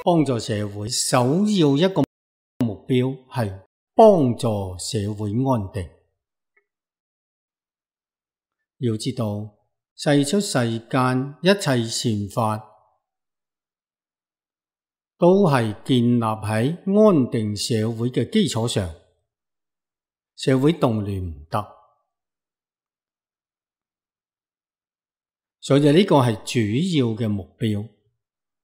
幫助社會首要一個目標係幫助社會安定。要知道，世出世間一切善法都係建立喺安定社會嘅基礎上，社會動亂唔得，所以呢個係主要嘅目標，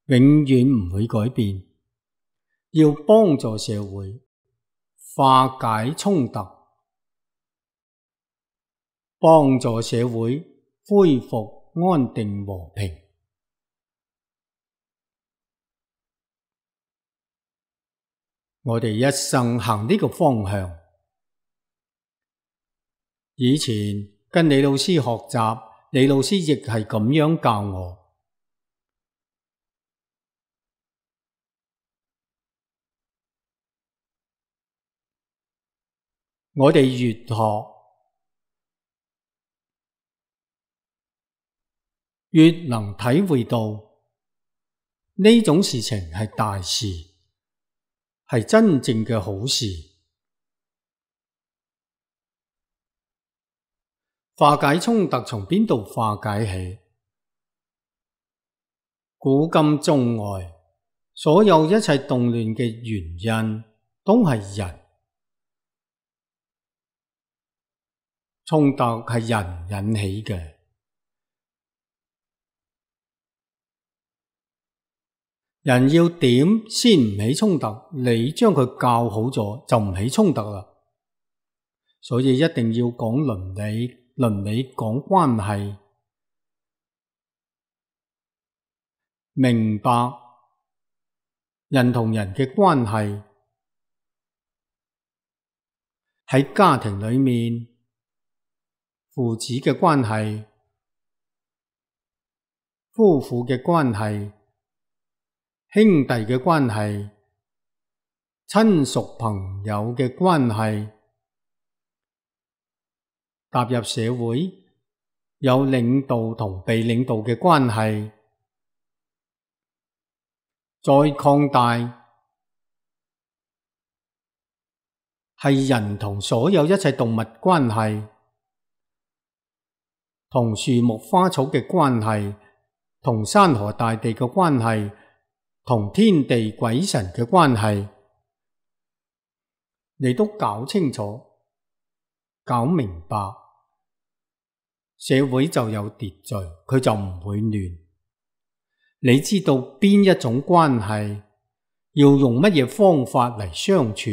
永遠唔會改變。要幫助社會化解衝突，幫助社會恢復安定和平。我哋一生行呢個方向。以前跟李老師學習，李老師亦係咁樣教我。我哋越學，越能體會到呢種事情係大事，係真正嘅好事。化解衝突從邊度化解起？古今中外，所有一切動亂嘅原因都係人。衝突係人引起嘅。人要點先唔起衝突，你將佢教好咗就唔起衝突啦。所以一定要講倫理，倫理講關係，明白人同人嘅關係，喺家庭裏面，父子嘅關係，夫婦嘅關係，兄弟嘅關係，親屬朋友嘅關係，踏入社會，有領導同被領導嘅關係，再擴大，係人同所有一切動物關係，同樹木花草嘅關係，同山河大地嘅關係，同天地鬼神嘅關係，你都搞清楚，搞明白，社會就有秩序，佢就唔會亂。你知道邊一種關係要用乜嘢方法嚟相處，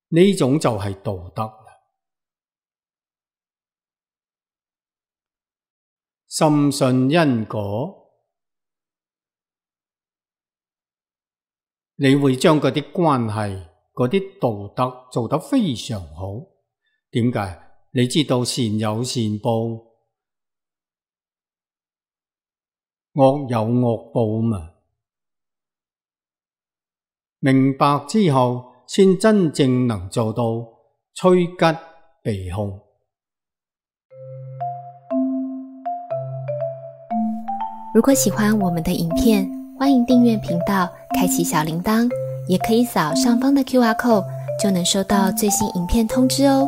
呢種就係道德啦。深信因果，你會將嗰啲關係、嗰啲道德做得非常好。點解？你知道善有善報，惡有惡報嘛。明白之後，先真正能做到趨吉避凶。如果喜歡我們的影片，歡迎訂閱頻道，開啟小鈴鐺，也可以掃上方的QR code，就能收到最新影片通知哦。